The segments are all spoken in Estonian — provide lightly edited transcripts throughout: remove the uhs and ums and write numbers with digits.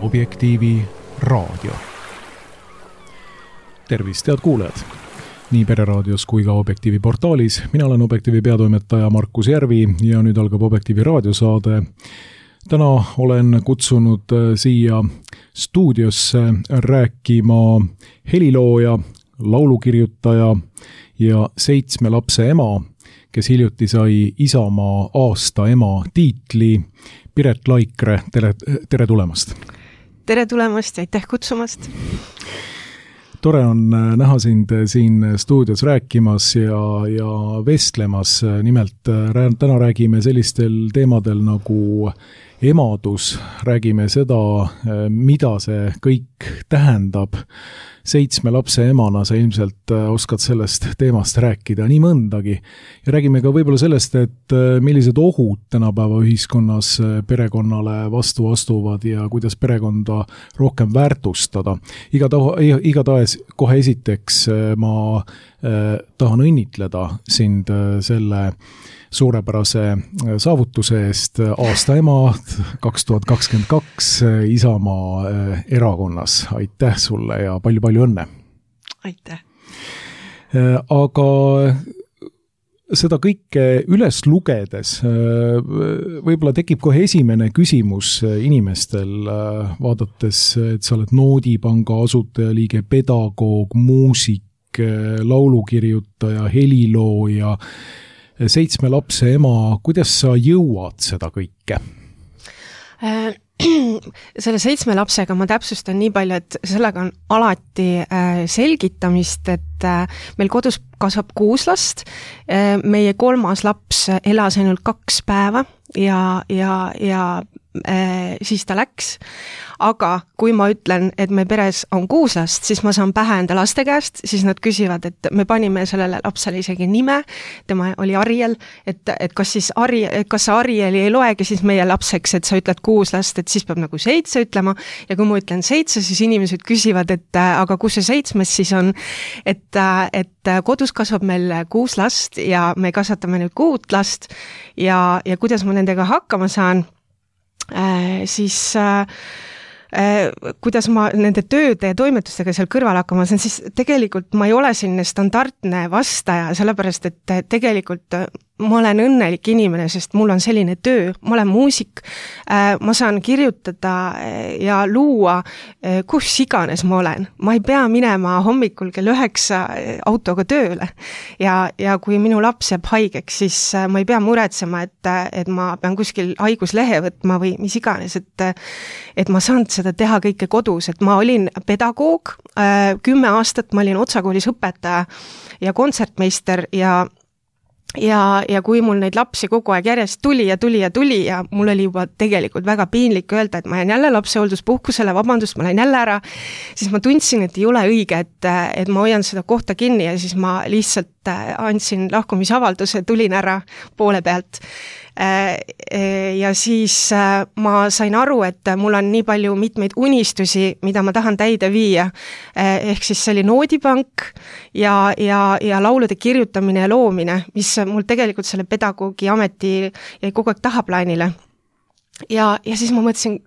Objektiivi raadio. Tervist, head kuulajad! Nii Pereraadios kui ka Objektiivi portaalis. Mina olen Objektiivi peatoimetaja Markus Järvi ja nüüd algab Objektiivi raadiosaade. Täna olen kutsunud siia stuudiosse rääkima helilooja, laulukirjutaja ja 7 lapse ema, kes hiljuti sai Isamaa aasta ema tiitli. Piret Laikre, tere tulemast! Tere tulemast ja aitäh kutsumast! Tore on näha sind siin stuudios rääkimas ja vestlemas. Nimelt täna räägime sellistel teemadel nagu emadus. Räägime seda, mida see kõik tähendab. 7 lapse emana sa ilmselt oskad sellest teemast rääkida nii mõndagi. Ja räägime ka võib-olla sellest, et millised ohud tänapäeva ühiskonnas perekonnale vastu astuvad ja kuidas perekonda rohkem väärtustada. Igatahes kohe esiteks ma tahan õnnitleda sind selle suurepärase saavutuse eest aasta ema 2022 Isamaa erakonnas. Aitäh sulle ja palju õnne. Aitäh. Aga seda kõike üles lugedes võib-olla tekib kohe esimene küsimus inimestel, vaadates, et sa oled Noodipanga asutajaliige, pedagoog, muusik, laulukirjutaja, helilooja, 7 lapse ema, kuidas sa jõuad seda kõike? Selle 7 lapsega ma täpsustan nii palju, et sellega on alati selgitamist, et meil kodus kasvab 6 last. Meie 3. laps elas ainult 2 päeva ja siis ta läks. Aga kui ma ütlen, et me peres on 6 last, siis ma saan pähe enda laste käest, siis nad küsivad, et me panime sellele lapsele isegi nime, tema oli Ariel, et kas sa Arieli ei loegi siis meie lapseks, et sa ütled 6 last, et siis peab nagu 7 ütlema, ja kui ma ütlen 7, siis inimesed küsivad, et aga kus see 7 siis on, et kodus kasvab meil 6 last ja me kasvatame nüüd 6 last ja kuidas ma nendega hakkama saan, siis kuidas ma nende tööde ja toimetustega seal kõrval hakkama saan, siis tegelikult ma ei ole selline standardne vastaja, sellepärast et tegelikult ma olen õnnelik inimene, sest mul on selline töö, ma olen muusik, ma saan kirjutada ja luua kus iganes ma olen. Ma ei pea minema hommikul kell 9 autoga tööle ja kui minu laps jääb haigeks, siis ma ei pea muretsema, et ma pean kuskil haiguslehe võtma või mis iganes, et ma saan seda teha kõike kodus, et ma olin pedagoog, 10 aastat ma olin otsakoolis õpetaja ja kontsertmeister ja kui mul neid lapsi kogu aeg järjest tuli ja mul oli juba tegelikult väga piinlik öelda, et ma jään jälle lapsehoolduspuhkusele, vabandust, ma lähen jälle ära, siis ma tundsin, et ei ole õige, et ma hoian seda kohta kinni ja siis ma lihtsalt andsin lahkumisavalduse, tulin ära poole pealt. Ja siis ma sain aru, et mul on nii palju mitmeid unistusi, mida ma tahan täide viia. Ehk siis see oli Noodipank ja laulude kirjutamine ja loomine, mis mul tegelikult selle pedagoogi ameti jäi kogu aeg tahaplaanile. Ja siis ma mõtlesin,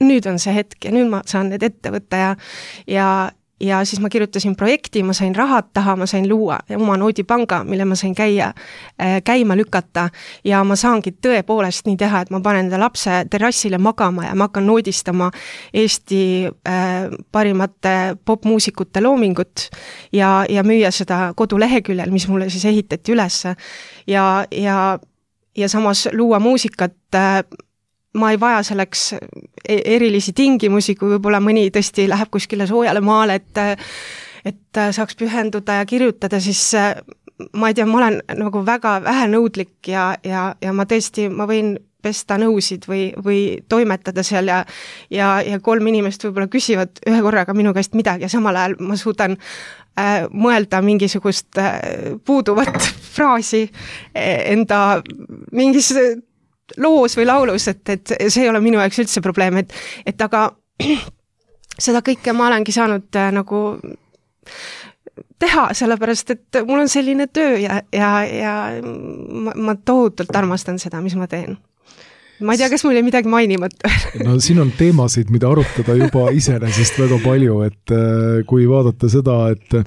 nüüd on see hetk ja nüüd ma saan need ette võtta ja siis ma kirjutasin projekti, ma sain rahad taha, ma sain luua oma Noodipanga, mille ma sain käima lükata ja ma saangi tõepoolest nii teha, et ma panen enda lapse terrassile magama ja ma hakkan noodistama Eesti parimate popmuusikute loomingut ja müüa seda koduleheküljel, mis mulle siis ehitati üles ja samas luua muusikat. Ma ei vaja selleks erilisi tingimusi, kui võib-olla mõni tõesti läheb kuskile soojale maale, et saaks pühenduda ja kirjutada, siis ma ei tea, ma olen nagu väga vähenõudlik ja ma tõesti, ma võin pesta nõusid või toimetada seal ja 3 inimest võib-olla küsivad ühe korraga minu käest midagi ja samal ajal ma suudan mõelda mingisugust puuduvat fraasi enda mingis loos või laulus, et see ei ole minu jaoks üldse probleem, et aga seda kõike ma olengi saanud nagu teha, sellepärast, et mul on selline töö ja ma tohutult armastan seda, mis ma teen. ma ei tea, kas mul ei midagi mainimata. No siin on teemasid, mida arutada juba iseenesest väga palju, et kui vaadata seda, et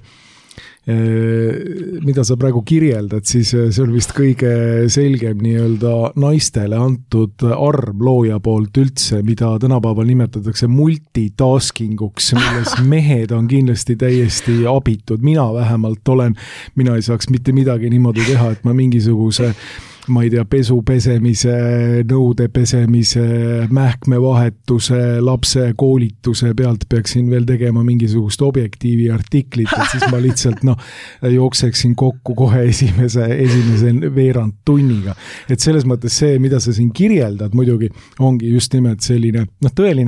mida sa praegu kirjeldad, siis see on vist kõige selgem nii-öelda naistele antud arm looja poolt üldse, mida tänapäeval nimetatakse multitaskinguks, milles mehed on kindlasti täiesti abitud. Mina vähemalt mina ei saaks mitte midagi niimoodi teha, et ma mingisuguse ma ei tea, pesu pesemise, nõude pesemise, mähkmevahetuse, lapse koolituse pealt peaksin veel tegema mingisugust objektiivi artiklit, et siis ma lihtsalt jookseksin kokku kohe esimese veerand tunniga. Et selles mõttes see, mida sa siin kirjeldad, muidugi ongi just nimelt selline,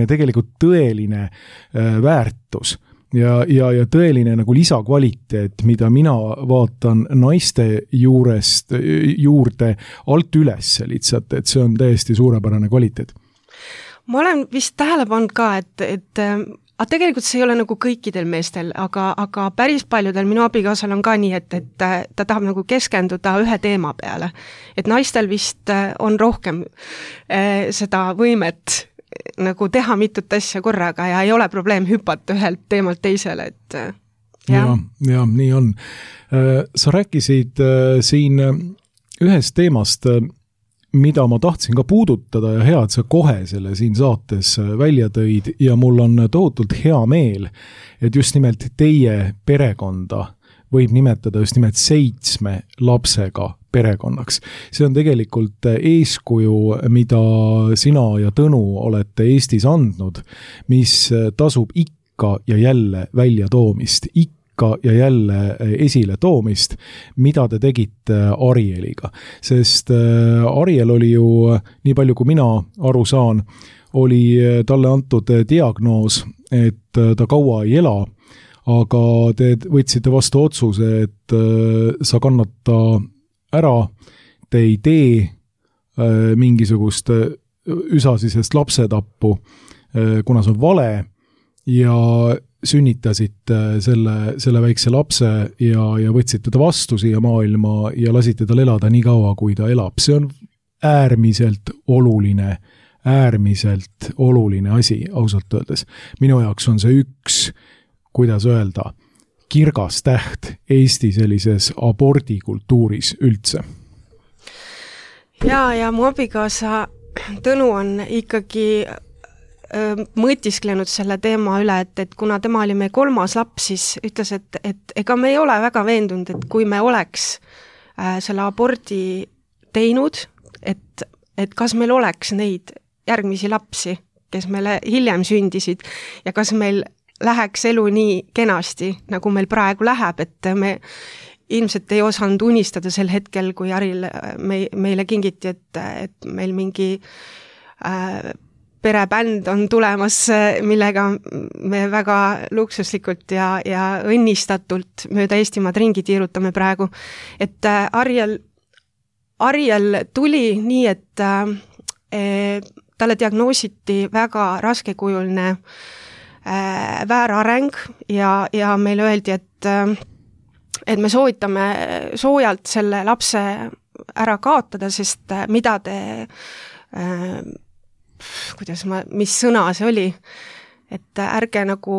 tegelikult tõeline väärtus. Ja tõeline nagu lisakvaliteet, mida mina vaatan naiste juurde alt üles lihtsalt, et see on täiesti suurepärane kvaliteet. Ma olen vist tähele pannud ka, et tegelikult see ei ole nagu kõikidel meestel, aga päris paljudel minu abikaasal on ka nii, et ta tahab nagu keskenduda ühe teema peale. Et naistel vist on rohkem seda võimet nagu teha mitut asja korraga ja ei ole probleem hüpata ühelt teemalt teisele, et ja, nii on. Sa rääkisid siin ühest teemast, mida ma tahtsin ka puudutada ja hea, et sa kohe selle siin saates välja tõid ja mul on tohutult hea meel, et just nimelt teie perekonda võib nimetada just nimelt 7 lapsega perekonnaks. See on tegelikult eeskuju, mida sina ja Tõnu olete Eestis andnud, mis tasub ikka ja jälle välja toomist, ikka ja jälle esile toomist, mida te tegite Arieliga. Sest Ariel oli ju, nii palju kui mina aru saan, oli talle antud diagnoos, et ta kaua ei ela, aga te võtsite vastu otsuse, et sa kannata ära, te ei tee mingisugust üsasisest lapsetappu, kuna see on vale, ja sünnitasite selle väikse lapse ja võtsite ta vastu siia maailma ja lasite tal elada nii kaua, kui ta elab. See on äärmiselt oluline asi, ausalt öeldes. Minu jaoks on see üks, kuidas öelda, kirgas täht Eesti sellises abordikultuuris üldse. Ja mu abikaasa Tõnu on ikkagi mõtisklenud selle teema üle, et kuna tema oli meie 3. laps, siis ütles, et ega me ei ole väga veendunud, et kui me oleks selle abordi teinud, et kas meil oleks neid järgmisi lapsi, kes meile hiljem sündisid ja kas meil läheks elu nii kenasti, nagu meil praegu läheb, et me ilmselt ei osanud unistada sel hetkel, kui Aril meile kingiti, et meil mingi perebänd on tulemas, millega me väga luksuslikult ja õnnistatult mööda Eestimaad ringi tiirutame praegu. Et Ariel tuli nii, et talle diagnoositi väga raskekujuline väärareng ja meile öeldi, et me soovitame soojalt selle lapse ära kaotada, sest mida te, mis sõna see oli, et ärge nagu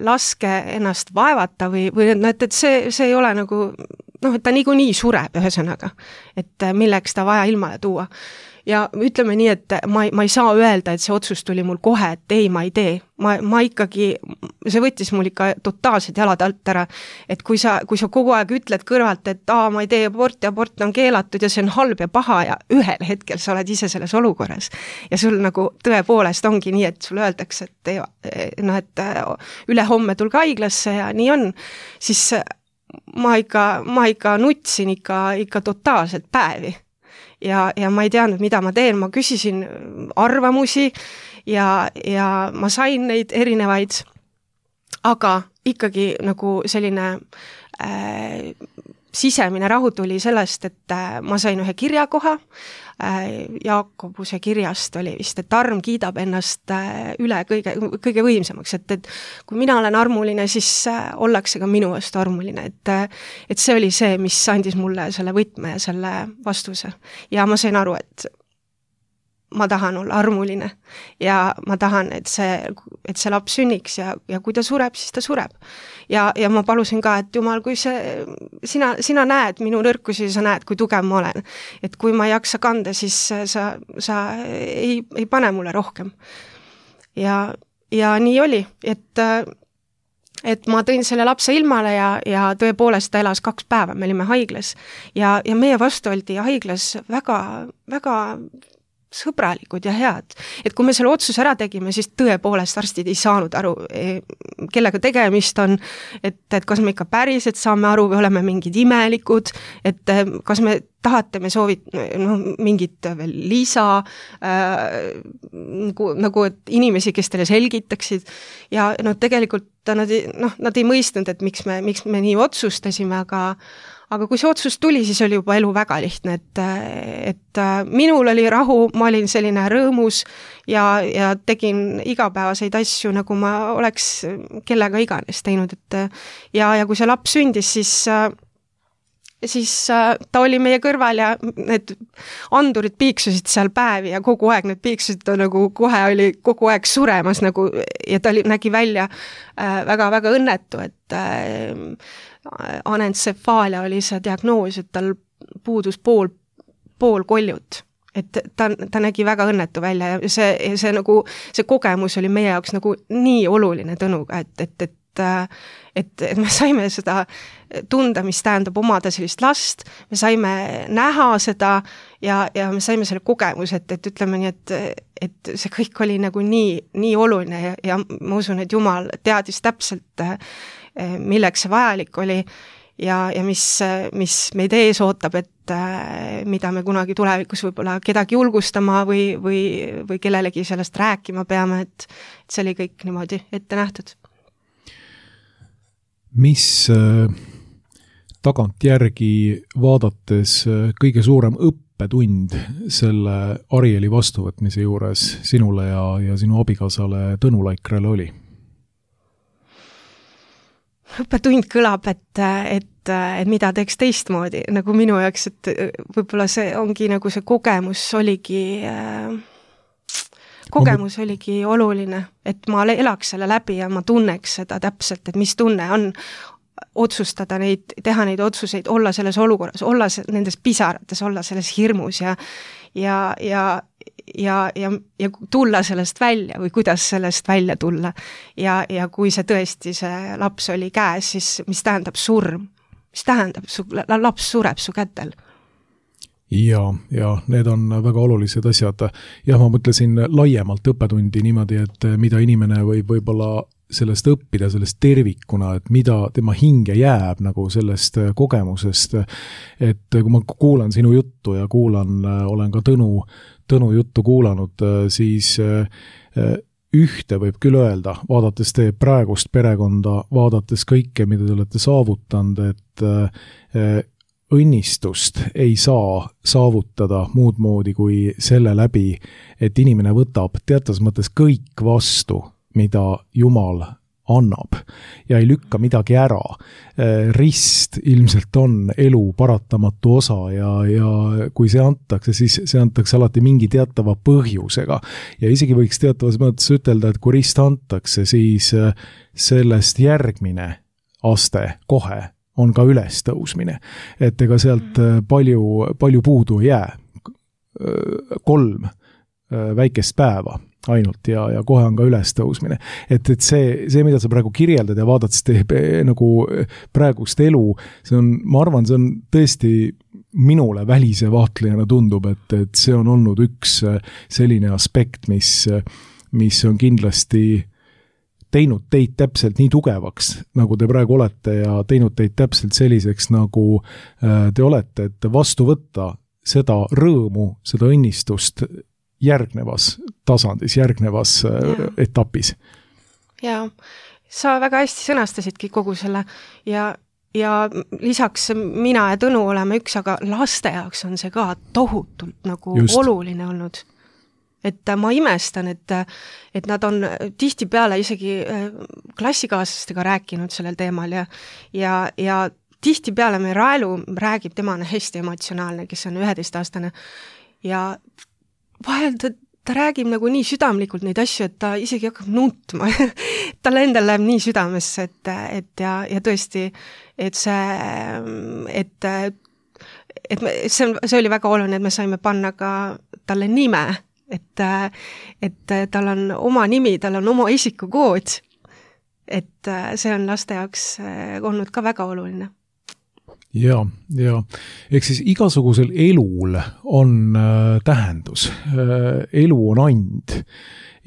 laske ennast vaevata või et see ei ole nagu, et ta niikuinii sureb ühesõnaga, et milleks ta vaja ilmale tuua. Ja ütleme nii, et ma ei saa öelda, et see otsus tuli mul kohe, et ei, ma ei tee. Ma ikkagi, see võttis mul ikka totaalselt jalad alt ära, et kui sa kogu aeg ütled kõrvalt, et ma ei tee abort on keelatud ja see on halb ja paha ja ühel hetkel sa oled ise selles olukorras. Ja sul nagu tõepoolest ongi nii, et sulle öeldakse, et üle homme tulge haiglasse ja nii on, siis ma ikka nutsin ikka totaalselt päevi. Ja ma ei teadnud, mida ma teen, ma küsisin arvamusi ja ma sain neid erinevaid, aga ikkagi nagu selline sisemine rahu tuli sellest, et ma sain ühe kirjakoha, Jakobuse kirjast oli vist, et arm kiidab ennast üle kõige võimsamaks, et kui mina olen armuline, siis ollakse ka minu vastu armuline, et see oli see, mis andis mulle selle võtme ja selle vastuse. Ja ma sain aru, et ma tahan olla armuline ja ma tahan, et see laps sünniks ja kui ta sureb, siis ta sureb. Ja ma palusin ka, et Jumal, kui sina näed minu nõrkusi, sa näed, kui tugev ma olen. Et kui ma ei jaksa kanda, siis sa ei pane mulle rohkem. Ja nii oli, et ma tõin selle lapse ilmale ja tõepoolest ta elas 2 päeva, me olime haiglas ja meie vastu oldi haiglas väga, väga sõbralikud ja head. Et kui me selle otsuse ära tegime, siis tõepoolest arstid ei saanud aru, kellega tegemist on, et kas me ikka päriselt saame aru või oleme mingid imelikud, et kas me tahate, me mingit veel lisa, nagu et inimesi, kes teile selgitaksid ja tegelikult nad ei mõistnud, et miks me nii otsustasime, aga kui see otsus tuli, siis oli juba elu väga lihtne, et minul oli rahu, ma olin selline rõõmus ja tegin igapäevaseid asju, nagu ma oleks kellega iganes teinud, ja kui see laps sündis, siis ta oli meie kõrval ja need andurid piiksusid seal päevi ja kogu aeg need piiksusid, ta nagu kohe oli kogu aeg suremas nagu, ja ta nägi välja väga-väga õnnetu, et anencefaalia oli see diagnoos, et tal puudus pool koljut. Et ta nägi väga õnnetu välja ja see kogemus oli meie jaoks nagu nii oluline Tõnuga, et me saime seda tunda, mis tähendab omada sellist last, me saime näha seda ja me saime selle kogemuse, et ütleme nii, et see kõik oli nagu nii oluline ja ma usun, et Jumal teadis täpselt, milleks see vajalik oli ja mis meid ees ootab, et mida me kunagi tulevikus võib-olla kedagi julgustama või kellelegi sellest rääkima peame, et see oli kõik niimoodi ette nähtud. Mis tagantjärgi vaadates kõige suurem õppetund selle Arieli vastuvõtmise juures sinule ja sinu abikaasale Tõnu Laikrale oli? Õppetund kõlab, et mida teeks teistmoodi, nagu minu jaoks, et võib-olla see ongi nagu see kogemus oligi oluline, et ma elaks selle läbi ja ma tunneks seda täpselt, et mis tunne on otsustada teha neid otsuseid, olla selles olukorras, olla nendes pisarates, olla selles hirmus ja tulla sellest välja või kuidas sellest välja tulla. Ja kui see tõesti see laps oli käes, siis mis tähendab surm? Mis tähendab, laps sureb su kätel? Ja need on väga olulised asjad. Ja ma mõtlesin laiemalt õppetundi niimoodi, et mida inimene võib-olla sellest õppida, sellest tervikuna, et mida tema hinge jääb nagu sellest kogemusest, et kui ma kuulan sinu juttu ja olen ka Tõnu juttu kuulanud, siis ühte võib küll öelda, vaadates teie praegust perekonda, vaadates kõike, mida te olete saavutanud, et õnnistust ei saa saavutada muud moodi kui selle läbi, et inimene võtab teatas mõttes kõik vastu, mida Jumal annab ja ei lükka midagi ära. Rist ilmselt on elu paratamatu osa ja kui see antakse, siis see antakse alati mingi teatava põhjusega. Ja isegi võiks teatavas mõttes ütelda, et kui rist antakse, siis sellest järgmine aste kohe on ka üles tõusmine. Et ega sealt palju puudu ei jää. 3 väikest päeva ainult ja kohe on ka üles tõusmine. Et see, mida sa praegu kirjeldad ja vaadates nagu praegust elu, ma arvan, see on tõesti minule välise vaatlejana tundub, et see on olnud üks selline aspekt, mis on kindlasti teinud teid täpselt nii tugevaks, nagu te praegu olete ja teinud teid täpselt selliseks, nagu te olete, et vastu võtta seda rõõmu, seda õnnistust järgnevas tasandis, järgnevas etapis. Ja sa väga hästi sõnastasidki kogu selle ja ja lisaks mina ja Tõnu oleme üks, aga laste jaoks on see ka tohutult nagu just oluline olnud. Et ma imestan, et nad on tihtipeale isegi klassikaaslastega rääkinud sellel teemal ja tihtipeale me Raelu räägib, tema on hästi emotsionaalne, kes on 11-aastane ja vahel ta räägib nagu nii südamlikult neid asju, et ta isegi hakkab nutma. Talle endal läheb nii südamesse, ja tõesti, et see oli väga oluline, et me saime panna ka talle nime, et tal on oma nimi, tal on oma isikukood, et see on laste jaoks olnud ka väga oluline. Ja. Ehk siis igasugusel elul on tähendus. Elu on and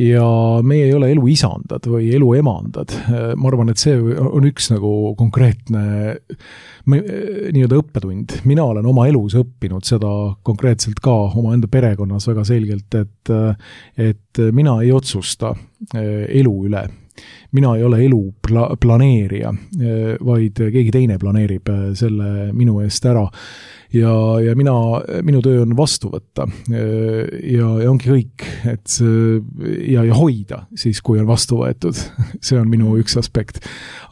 ja meie ei ole elu isandad või elu emandad. Ma arvan, et see on üks nagu konkreetne nii-öelda õppetund. Mina olen oma elus õppinud seda konkreetselt ka oma enda perekonnas väga selgelt, et mina ei otsusta elu üle. Mina ei ole elu planeerija, vaid keegi teine planeerib selle minu eest ära. Ja minu töö on vastu võtta ja ongi kõik, ja hoida siis, kui on vastu võetud. See on minu üks aspekt.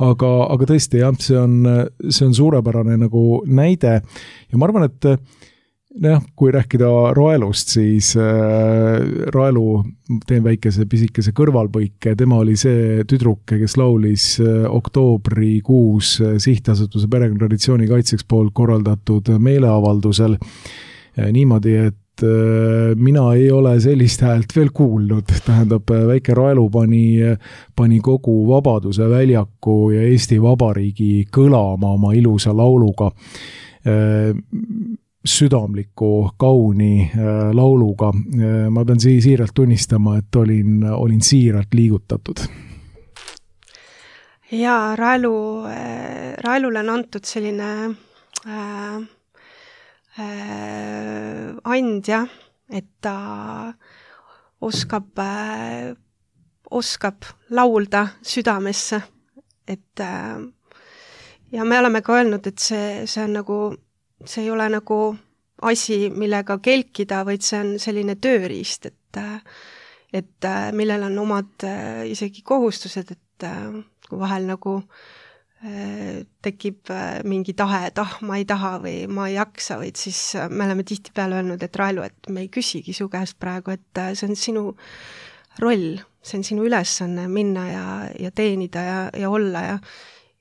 Aga tõesti, jah, see on suurepärane nagu näide ja ma arvan, et kui rääkida Raelust, siis Raelu, teen väikese pisikese kõrvalpõike, tema oli see tüdruke, kes laulis oktoobrikuus Sihtasutuse perekonnatraditsiooni kaitseks poolt korraldatud meeleavaldusel niimoodi, et mina ei ole sellist häält veel kuulnud. Tähendab, väike Raelu pani kogu Vabaduse väljaku ja Eesti Vabariigi kõlama oma ilusa lauluga, südamliku, kauni lauluga. Ma pean siiralt tunnistama, et olin siiralt liigutatud. Ja Raelule on antud selline andja, et ta oskab laulda südamesse. Ja me oleme ka öelnud, et see on nagu see ei ole nagu asi, millega kelkida, vaid see on selline tööriist, et millel on omad isegi kohustused, et kui vahel nagu tekib mingi tahe, et ma ei taha või ma ei jaksa, vaid siis me oleme tihtipeale öelnud, et Raelu, et me ei küsigi su käest praegu, et see on sinu roll, see on sinu ülesanne minna ja teenida ja olla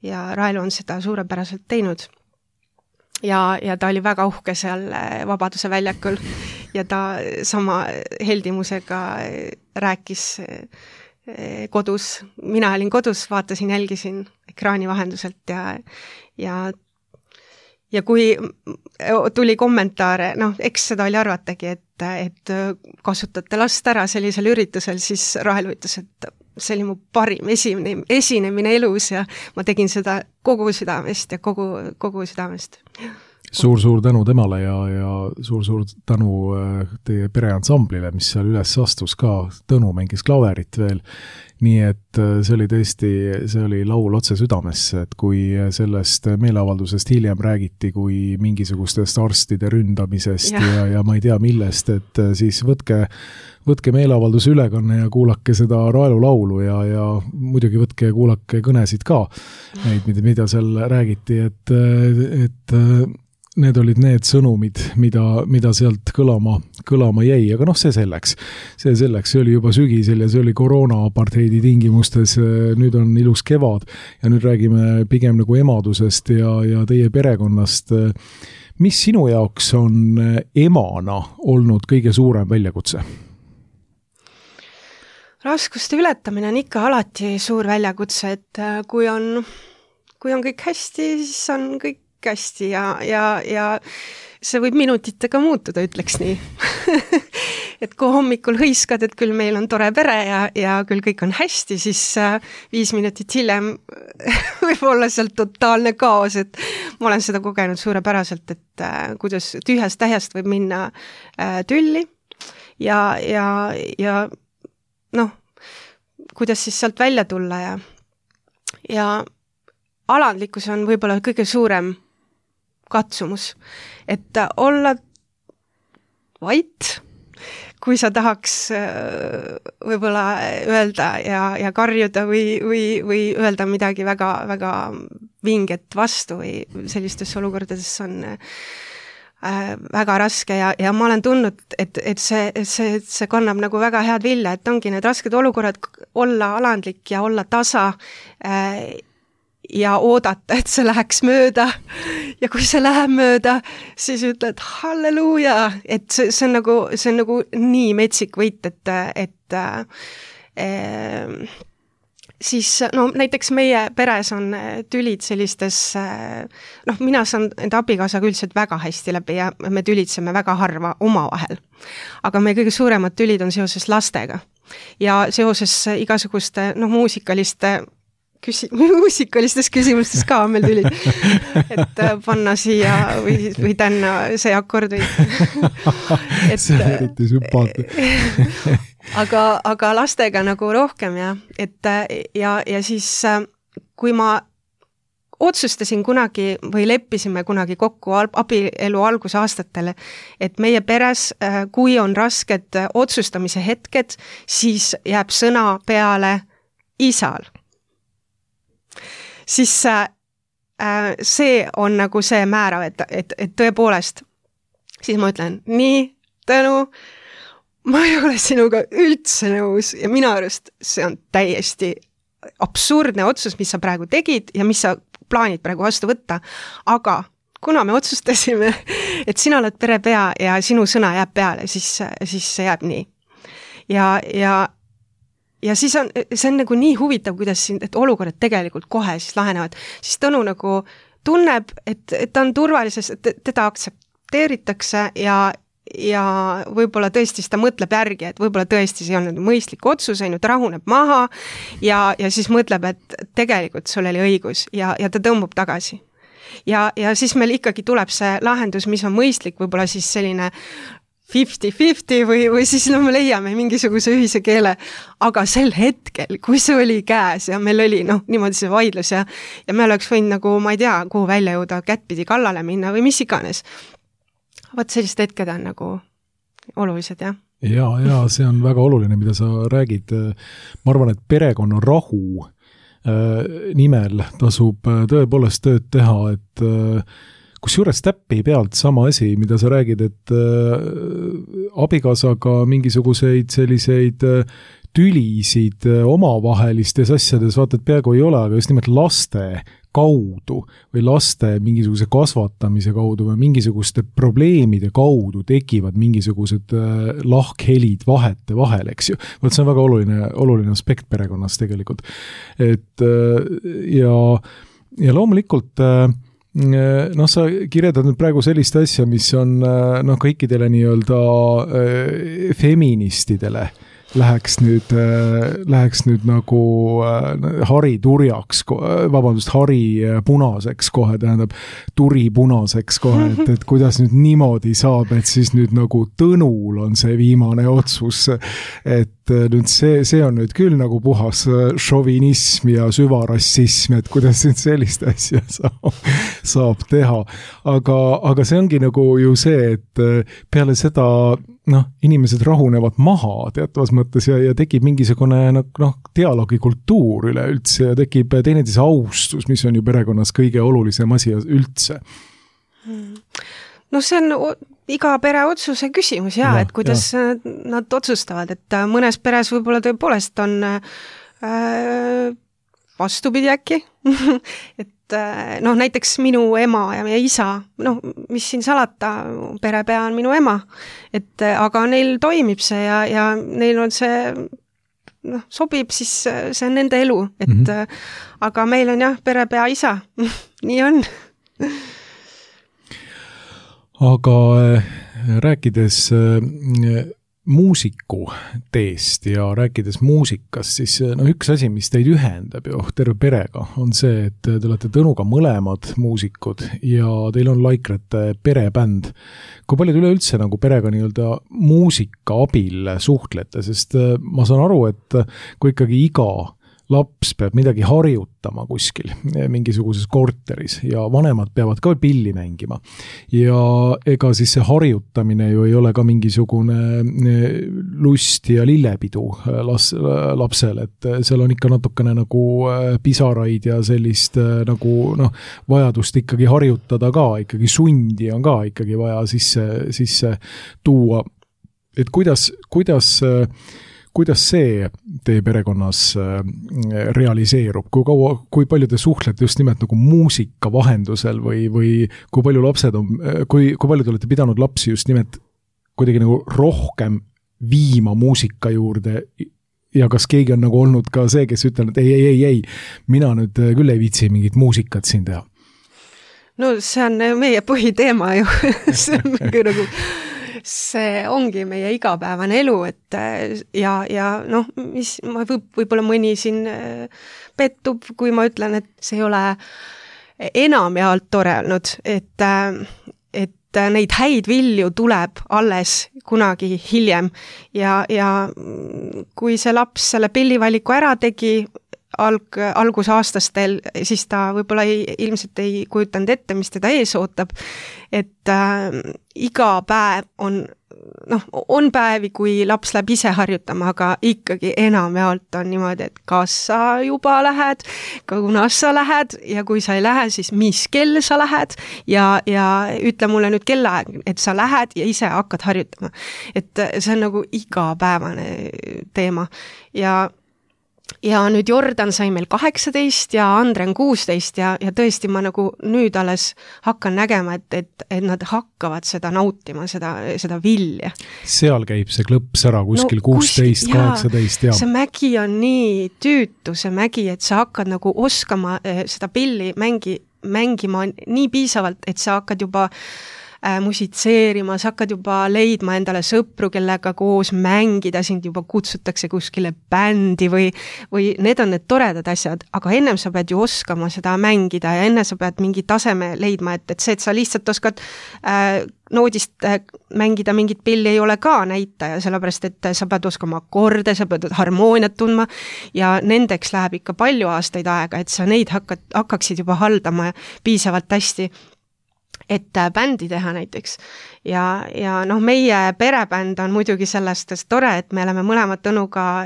ja Raelu on seda suurepäraselt teinud. Ja ta oli väga uhke seal Vabaduse väljakul ja ta sama heldimusega rääkis kodus. Mina olin kodus, vaatasin, jälgisin ekraani vahenduselt ja kui tuli kommentaare, eks seda oli arvatagi, et kasutate last ära sellisel üritusel, siis Raelu ütles, et see oli mu parim esinemine elus ja ma tegin seda kogu südamest ja kogu südamest. Suur tänu temale ja suur tänu teie pereansamblile, mis seal üles astus ka. Tõnu mängis klaverit veel. Nii et see oli laul otse südamesse, et kui sellest meeleavaldusest hiljem räägiti kui mingisugustest arstide ründamisest ja ma ei tea millest, et siis võtke meeleavalduse ülekanne ja kuulake seda Raelu laulu ja muidugi võtke ja kuulake kõnesid ka, neid, mida seal räägiti, et need olid need sõnumid, mida sealt kõlama jäi, aga see selleks. See oli juba sügisel ja see oli koroona-apartheidi tingimustes, nüüd on ilus kevad ja nüüd räägime pigem nagu emadusest ja teie perekonnast. Mis sinu jaoks on emana olnud kõige suurem väljakutse? Raskuste ületamine on ikka alati suur väljakutse, et kui on kõik hästi, siis on kõik hästi ja see võib minutitega muutuda, ütleks nii. Et kui hommikul hõiskad, et küll meil on tore pere ja küll kõik on hästi, siis 5 minutit hiljem võib olla seal totaalne kaos, et ma olen seda kogenud suurepäraselt, et kuidas tühjast tähjast võib minna tülli ja kuidas siis sealt välja tulla ja alandlikkus on võib-olla kõige suurem katsumus, et olla vait, kui sa tahaks võib-olla öelda ja karjuda või öelda midagi väga, väga vinget vastu või sellistes olukordades on väga raske ja ma olen tundnud, et see kannab nagu väga head vilja, et ongi need rasked olukorrad olla alandlik ja olla tasa ja oodata, et see läheks mööda ja kui see läheb mööda, siis ütled halleluuja, et see on nagu nii metsik võit, et siis no näiteks meie peres on tülid sellistes, mina saan enda abikaasaga üldiselt väga hästi läbi ja me tülitseme väga harva omavahel. Aga meie kõige suuremad tülid on seoses lastega ja seoses igasuguste muusikalistes küsimustes ka on meil tülid, et panna siia või tänna see akord või see on eriti sümpaatne. aga lastega nagu rohkem ja siis kui ma otsustasin kunagi või leppisime kunagi kokku abielu algusaastatele, et meie peres, kui on rasked otsustamise hetked, siis jääb sõna peale isal. Siis see on nagu see määrav, et tõepoolest, siis ma ütlen, nii, Tõnu, ma ei ole sinuga üldse nõus ja minu arust see on täiesti absurdne otsus, mis sa praegu tegid ja mis sa plaanid praegu vastu võtta, aga kuna me otsustasime, et sina oled perepea ja sinu sõna jääb peale, siis see jääb nii. Ja siis see on nagu nii huvitav, kuidas et olukorrad tegelikult kohe siis lahenevad. Siis Tõnu nagu tunneb, et ta on turvalises, et teda aktsepteeritakse ja võib-olla tõesti ta mõtleb järgi, et võib-olla tõesti see on mõistlik otsus, ta rahuneb maha ja siis mõtleb, et tegelikult sul oli õigus ja ta tõmbub tagasi. Ja siis meil ikkagi tuleb see lahendus, mis on mõistlik, võib-olla siis selline 50-50 või siis me leiame mingisuguse ühise keele, aga sel hetkel, kui see oli käes ja meil oli niimoodi see vaidlus ja me oleks võinud nagu, ma ei tea, kuhu välja jõuda, kättpidi kallale minna või mis iganes. Vaat sellist hetked on nagu olulised, jah. Ja see on väga oluline, mida sa räägid. Ma arvan, et perekonna rahu nimel tasub tõepoolest tööd teha, et kusjuures täppi pealt sama asi, mida sa räägid, et abikaasaga mingisuguseid selliseid tülisid omavahelistes asjades, vaata, et peaaegu ei ole, aga just nimelt laste kaudu või laste mingisuguse kasvatamise kaudu või mingisuguste probleemide kaudu tekivad mingisugused lahkhelid vahete vahel, eks ju. Vaat see on väga oluline aspekt perekonnas tegelikult. Et ja loomulikult sa kirjeldad nüüd praegu sellist asja, mis on kõikidele nii-öelda feministidele läheks nüüd nagu hari turjaks, hari punaseks kohe, tähendab turi punaseks kohe, et kuidas nüüd niimoodi saab, et siis nüüd nagu Tõnul on see viimane otsus, et nüüd see on nüüd küll nagu puhas šovinism ja süvarassism, et kuidas nüüd sellist asja saab teha. Aga see ongi nagu ju see, et peale seda inimesed rahunevad maha teatavas mõttes ja tekib mingisugune dialoogikultuur üleüldse ja tekib teineteise austus, mis on ju perekonnas kõige olulisem asi üldse. See on iga pere otsuse küsimus et kuidas nad otsustavad, et mõnes peres võib-olla tõepoolest on vastupidi äkki, et näiteks minu ema ja meie isa, mis siin salata, perepea on minu ema, aga neil toimib see ja neil on see, sobib, siis see on nende elu, aga meil on perepea isa, nii on. Aga rääkides muusiku teest ja rääkides muusikast, siis üks asi, mis teid ühendab ju terve perega, on see, et te olete Tõnuga mõlemad muusikud ja teil on Laikrate perebänd. Kui palju te üleüldse nagu perega nii-öelda muusika abil suhtlete, sest ma saan aru, et kui ikkagi iga laps peab midagi harjutama kuskil mingisuguses korteris ja vanemad peavad ka pilli mängima. Ja ega siis see harjutamine ju ei ole ka mingisugune lust ja lillepidu lapsel, et seal on ikka natukene nagu pisaraid ja sellist nagu vajadust ikkagi harjutada ka, ikkagi sundi on ka ikkagi vaja sisse tuua. Et kuidas see teie perekonnas realiseerub? Kui palju te suhtlete just nimelt nagu muusika vahendusel või kui palju kui palju te olete pidanud lapsi just nimelt kuidagi nagu rohkem viima muusika juurde ja kas keegi on nagu olnud ka see, kes ütleb, et ei, mina nüüd küll ei viitsi mingit muusikat siin teha? No see on meie põhiteema ju. See on nagu see ongi meie igapäevane elu, et ja mis võib-olla mõni siin pettub, kui ma ütlen, et see ei ole enamjaolt tore olnud, et neid häid vilju tuleb alles kunagi hiljem ja kui see laps selle pillivaliku ära tegi algusaastastel, siis ta võib-olla ilmselt ei kujutanud ette, mis teda ees ootab, et iga päev on päevi, kui laps läheb ise harjutama, aga ikkagi enamjaolt on niimoodi, et kas sa juba lähed, kunas sa lähed ja kui sa ei lähe, siis mis kell sa lähed ja ütle mulle nüüd kellaaeg, et sa lähed ja ise hakkad harjutama. Et see on nagu igapäevane teema ja nüüd Jordan sai meil 18 ja Andre on 16 ja tõesti ma nagu nüüd alles hakkan nägema, et nad hakkavad seda nautima, seda vilja. Seal käib see klõps ära kuskil 16, 18, see mägi on nii tüütu, see mägi, et sa hakkad nagu oskama seda pilli mängima nii piisavalt, et sa hakkad juba musitseerima, sa hakkad juba leidma endale sõpru, kellega koos mängida, sind juba kutsutakse kuskile bändi või need on need toredad asjad, aga ennem sa pead ju oskama seda mängida ja enne sa pead mingi taseme leidma, et see, et sa lihtsalt oskad noodist mängida mingit pilli ei ole ka näitaja, sellepärast et sa pead oskama akorde, sa pead harmooniat tundma ja nendeks läheb ikka palju aastaid aega, et sa neid hakkaksid juba haldama piisavalt hästi, et bändi teha näiteks. Ja meie perebänd on muidugi sellest tore, et me oleme mõlemad Tõnuga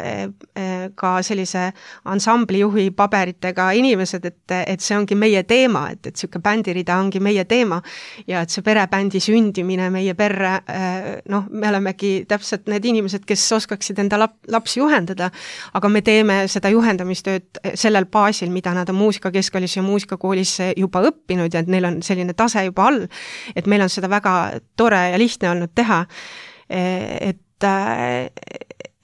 ka sellise ansamblijuhi paberitega inimesed, et see ongi meie teema, et selline bändirida ongi meie teema ja et see perebändi sündimine meie perre, me olemegi täpselt need inimesed, kes oskaksid enda lapsi juhendada, aga me teeme seda juhendamistööd sellel baasil, mida nad on muusikakeskkoolis ja muusikakoolis juba õppinud ja et neil on selline tase juba all, et meil on seda väga tore ja lihtne olnud teha,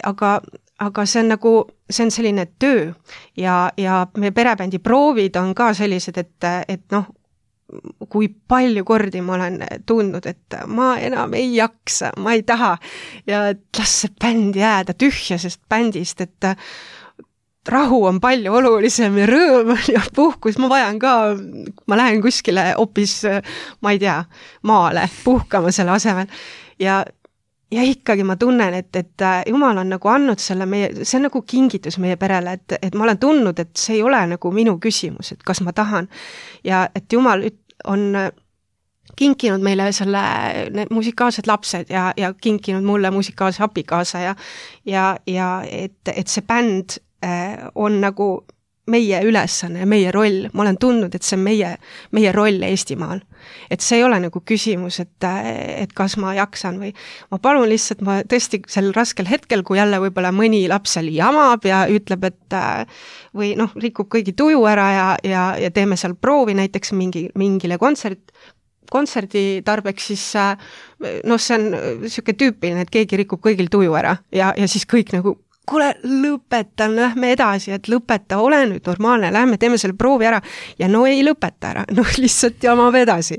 aga see on selline töö ja meie perebändi proovid on ka sellised, et kui palju kordi ma olen tundnud, et ma enam ei jaksa, ma ei taha ja las see bänd jääda tühjasest bändist, et rahu on palju olulisem ja rõõm ja puhkus, ma lähen kuskile hoopis, ma ei tea, maale puhkama selle asemel ja ikkagi ma tunnen, et Jumal on nagu andnud see on nagu kingitus meie perele, et ma olen tundnud, et see ei ole nagu minu küsimus, et kas ma tahan ja et Jumal on kinkinud meile need musikaalsed lapsed ja kinkinud mulle musikaalse abikaasa ja et see bänd on nagu meie ülesanne, meie roll. Ma olen tundnud, et see on meie roll Eestimaal. Et see ei ole nagu küsimus, et kas ma jaksan või ma palun lihtsalt, ma tõesti sel raskel hetkel, kui jälle võib-olla mõni laps seal jamab ja ütleb, et või rikub kõigi tuju ära ja teeme seal proovi näiteks mingile kontserdi tarbeks, siis see on selline tüüpiline, et keegi rikub kõigil tuju ära ja siis kõik nagu kuule, lõpeta, lähme edasi, et lõpeta, ole nüüd normaalne, lähme teeme selle proovi ära ja ei lõpeta ära, lihtsalt jamab edasi.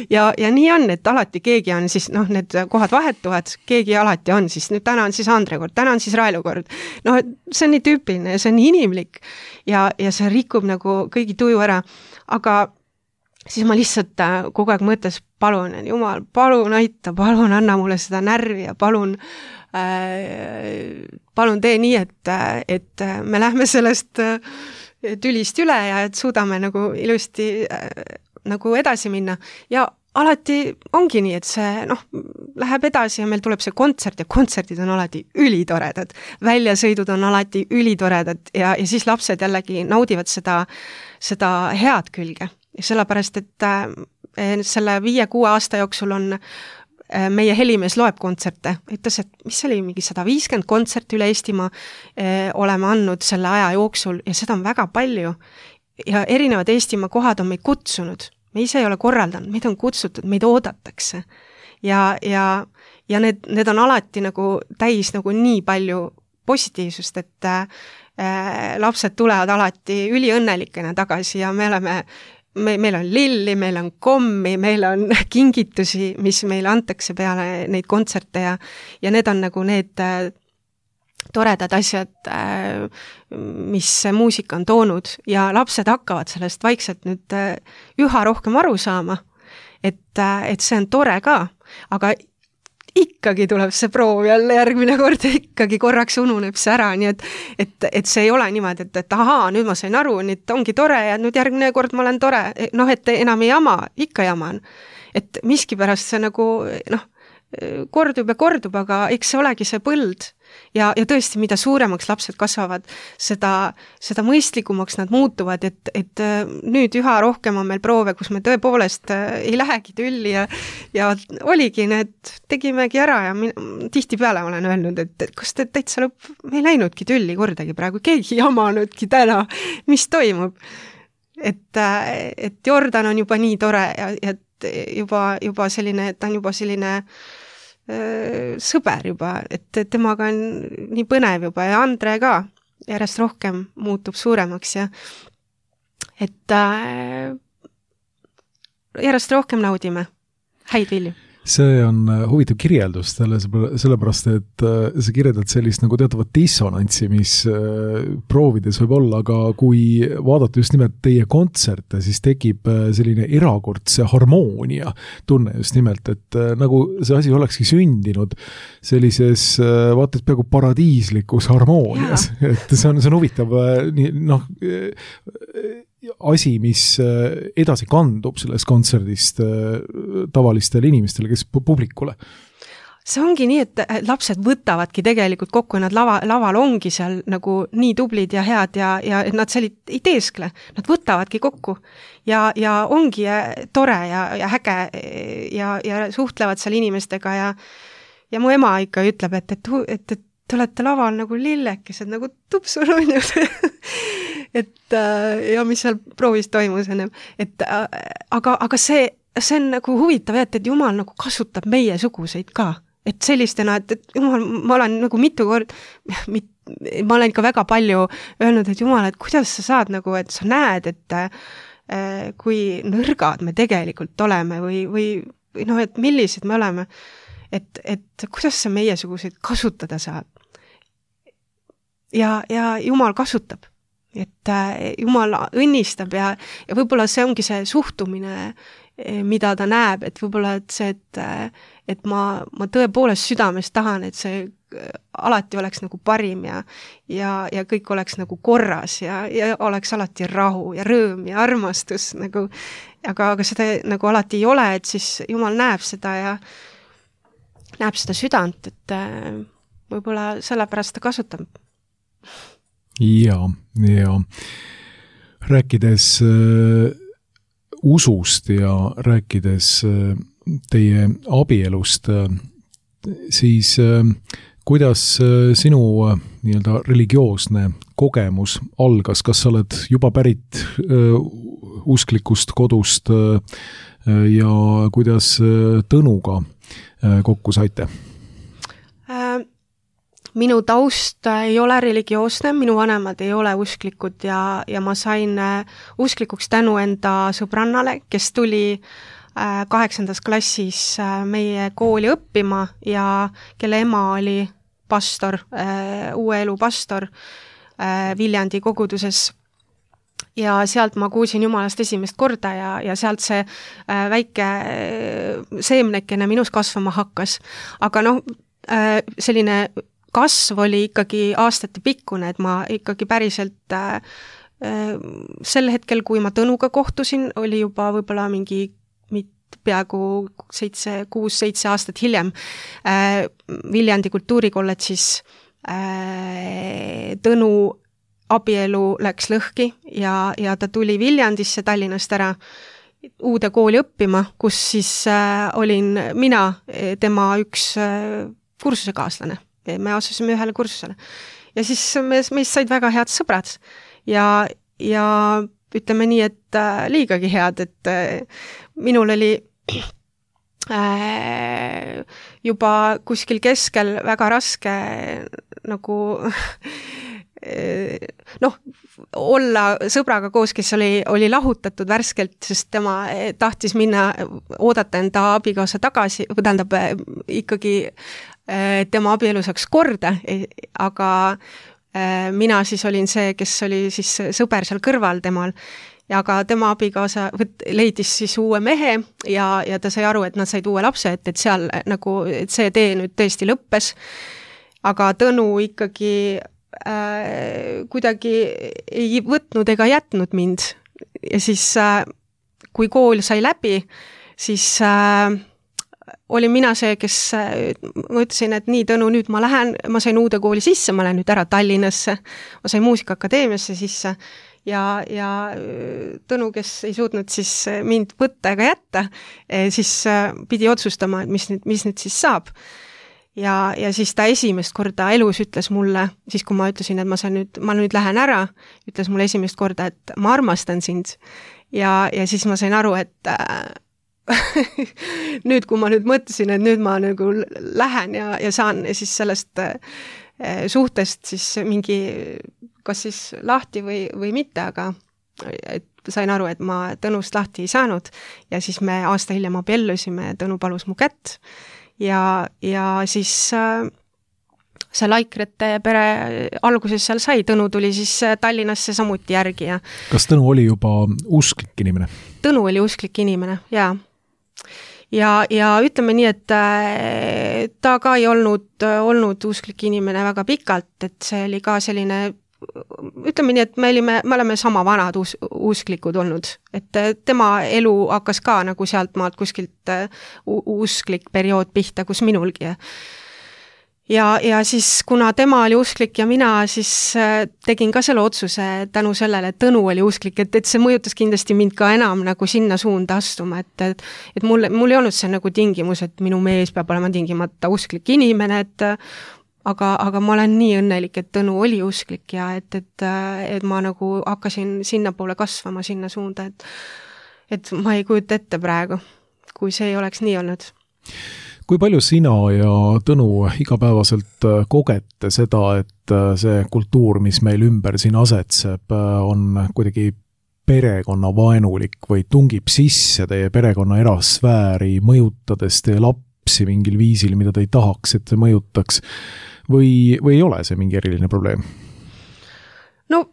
Ja nii on, et alati keegi on siis, need kohad vahetuvad, keegi alati on siis, nüüd täna on siis Andre kord, täna on siis Railu kord. See on nii tüüpiline, see on nii inimlik ja see rikub nagu kõigi tuju ära, aga siis ma lihtsalt kogu aeg mõttes, palun, Jumal, palun aita, palun anna mulle seda närvi ja palun tee nii, et me lähme sellest tülist üle ja et suudame nagu ilusti nagu edasi minna. Ja alati ongi nii, et see läheb edasi ja meil tuleb see kontsert ja kontserdid on alati ülitoredad. Väljasõidud on alati ülitoredad ja siis lapsed jällegi naudivad seda head külge. Ja sellepärast, et selle 5-6 aasta jooksul on meie helimees loeb kontserte. Ütles, et mis oli mingi 150 kontserti üle Eestimaa oleme andnud selle aja jooksul ja seda on väga palju. Ja erinevad Eestimaa kohad on meid kutsunud. Me ise ei ole korraldanud, meid on kutsutud, meid oodatakse. Ja need on alati nagu täis nagu nii palju positiivsust, et lapsed tulevad alati üliõnnelikena tagasi ja meil on lilli, meil on kommi, meil on kingitusi, mis meile antakse peale neid kontserte ja need on nagu need toredad asjad, mis muusika on toonud ja lapsed hakkavad sellest vaikselt nüüd üha rohkem aru saama, et see on tore ka, aga ikkagi tuleb see proov jälle järgmine kord, ikkagi korraks ununeb see ära, nii et see ei ole niimoodi, et ahaa, nüüd ma sain aru, nüüd ongi tore ja nüüd järgmine kord ma olen tore, et enam ei jama, ikka jaman. Et miskipärast see nagu, kordub ja kordub, aga eks see olegi see põld. Ja tõesti, mida suuremaks lapsed kasvavad, seda mõistlikumaks nad muutuvad, et nüüd üha rohkem on meil proove, kus me tõepoolest ei lähegi tülli ja oligi tegimegi ära ja tihtipeale olen öelnud, et kas te täitsa me ei läinudki tülli kordagi praegu, keegi jamanudki täna, mis toimub. Et Jordan on juba nii tore ja juba selline, ta on juba selline sõber juba, et temaga on nii põnev juba ja Andre ka järjest rohkem muutub suuremaks ja et järjest rohkem naudime häid vilju. See on huvitav kirjeldus sellepärast, et sa kirjeldad sellist nagu teatavat dissonantsi, mis proovides võib olla, aga kui vaadata just nimelt teie kontserte, siis tekib selline erakordse harmoonia tunne just nimelt, et nagu see asi olekski sündinud sellises vaata, et peaaegu paradiislikus harmoonias, et see on huvitav asi, mis edasi kandub sellest kontserdist tavalistele inimestele, kes publikule. See ongi nii, et lapsed võtavadki tegelikult kokku, nad laval ongi seal nagu nii tublid ja head ja nad seal ei teeskle, nad võtavadki kokku ja ongi tore ja häge ja suhtlevad seal inimestega ja mu ema ikka ütleb, et te olete laval nagu lillekesed, nagu tupsununnud. Ja mis seal proovis toimus ennem. Aga see on nagu huvitav, et Jumal nagu kasutab meie suguseid ka. Et sellistena, et Jumal, ma olen nagu mitu kord, ma olen ikka väga palju öelnud, et Jumal, et kuidas sa saad nagu, et sa näed, et kui nõrgad me tegelikult oleme või et millised me oleme, et kuidas sa meie suguseid kasutada saad. Ja Jumal kasutab. Et Jumal õnnistab ja võib-olla see ongi see suhtumine, mida ta näeb, et võib-olla see, et ma tõepoolest südames tahan, et see alati oleks nagu parim ja kõik oleks nagu korras ja oleks alati rahu ja rõõm ja armastus nagu, aga seda nagu alati ei ole, et siis Jumal näeb seda ja näeb seda südant, et võib-olla sellepärast ta kasutab. Ja rääkides usust ja rääkides teie abielust, siis kuidas sinu nii-öelda religioosne kogemus algas, kas sa oled juba pärit usklikust kodust ja kuidas Tõnuga kokku saite? Minu taust ei ole religioosne, minu vanemad ei ole usklikud ja ma sain usklikuks tänu enda sõbrannale, kes tuli 8. klassis meie kooli õppima ja kelle ema oli pastor, Uue Elu pastor Viljandi koguduses. ja sealt ma kuulsin Jumalast esimest korda ja sealt see väike seemnekene minus kasvama hakkas. Aga selline kasv oli ikkagi aastate pikkune, et ma ikkagi päriselt sel hetkel, kui ma Tõnuga kohtusin, oli juba võib-olla mingi peaaegu 6-7 aastat hiljem Viljandi kultuurikolledžis Tõnu abielu läks lõhki ja ta tuli Viljandisse Tallinnast ära uude kooli õppima, kus siis olin mina tema üks kursusekaaslane. Me asusime ühele kursusele. Ja siis meist said väga head sõbrad ja ütleme nii, et liigagi head, et minul oli juba kuskil keskel väga raske nagu olla sõbraga koos, kes oli lahutatud värskelt, sest tema tahtis minna oodata enda abikaasa tagasi, tähendab ikkagi tema abielu saaks korda, aga mina siis olin see, kes oli siis sõber seal kõrval temal, ja aga tema abikaasa leidis siis uue mehe ja ta sai aru, et nad said uue lapse, et seal nagu, et see tee nüüd tõesti lõppes, aga Tõnu ikkagi kuidagi ei võtnud ega jätnud mind. Ja siis, kui kool sai läbi, siis olin mina see, kes ma ütlesin, et nii, Tõnu, nüüd ma sain uude kooli sisse, ma lähen nüüd ära Tallinnasse, ma sain Muusikaakadeemiasse sisse ja Tõnu, kes ei suutnud siis mind võtta ega jätta, siis pidi otsustama, et mis nüüd siis saab. Ja siis ta esimest korda elus ütles mulle, siis kui ma ütlesin, et ma nüüd lähen ära, ütles mulle esimest korda, et ma armastan sind. Ja siis ma sain aru, et nüüd, kui ma nüüd mõtlesin, et nüüd ma nagu lähen ja saan siis sellest suhtest siis mingi, kas siis lahti või mitte, aga et sain aru, et ma Tõnust lahti ei saanud ja siis me aasta hiljem abiellusime, Tõnu palus mu kätt. Ja siis see Laikrete pere alguses seal sai, Tõnu tuli siis Tallinnasse samuti järgi. Kas Tõnu oli juba usklik inimene? Tõnu oli usklik inimene, jaa. Ja ütleme nii, et ta ka ei olnud usklik inimene väga pikalt, et see oli ka selline, ütleme nii, et me oleme sama vanad usklikud olnud, et tema elu hakkas ka nagu sealt maalt kuskilt usklik periood pihta, kus minulgi. Ja siis, kuna tema oli usklik ja mina, siis tegin ka selle otsuse tänu sellele, et Tõnu oli usklik, et see mõjutas kindlasti mind ka enam nagu sinna suunda astuma, et mul ei olnud see nagu tingimus, et minu mees peab olema tingimata usklik inimene, aga ma olen nii õnnelik, et Tõnu oli usklik ja et ma nagu hakkasin sinna poole kasvama, sinna suunda, et ma ei kujuta ette praegu, kui see ei oleks nii olnud. Kui palju sina ja Tõnu igapäevaselt kogete seda, et see kultuur, mis meil ümber siin asetseb, on kuidagi perekonnavaenulik või tungib sisse teie perekonna erasfääri, mõjutades teie lapsi mingil viisil, mida te ei tahaks, et te mõjutaks, või ei ole see mingi eriline probleem? No,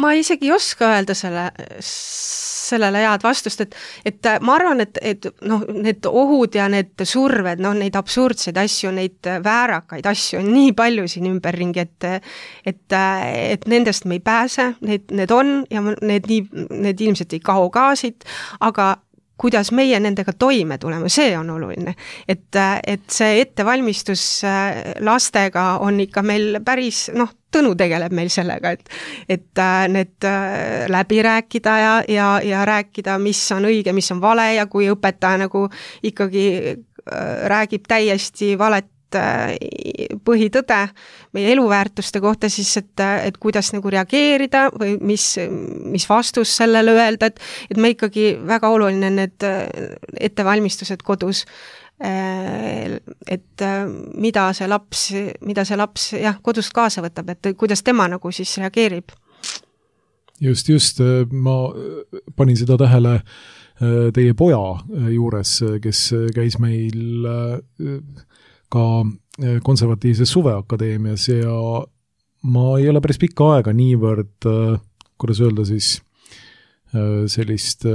ma isegi ei oska öelda sellele head vastust, et ma arvan, et need ohud ja need surved, neid absurdseid asju, neid väärakaid asju on nii palju siin ümberringi, et nendest me ei pääse, need on ja need ilmselt ei kao ka siit, aga kuidas meie nendega toime tuleme, see on oluline. Et see ettevalmistus lastega on ikka meil päris, Tõnu tegeleb meil sellega, et need läbi rääkida ja rääkida, mis on õige, mis on vale ja kui õpetaja nagu ikkagi räägib täiesti valet põhitõde meie eluväärtuste kohta, siis et kuidas nagu reageerida või mis vastus sellele öelda, et me ikkagi väga oluline need ettevalmistused kodus, et mida see laps kodust kaasa võtab, et kuidas tema nagu siis reageerib. Just, ma panin seda tähele teie poja juures, kes käis meil ka konservatiivses suveakadeemias ja ma ei ole päris pikka aega niivõrd kuidas öelda siis, sellist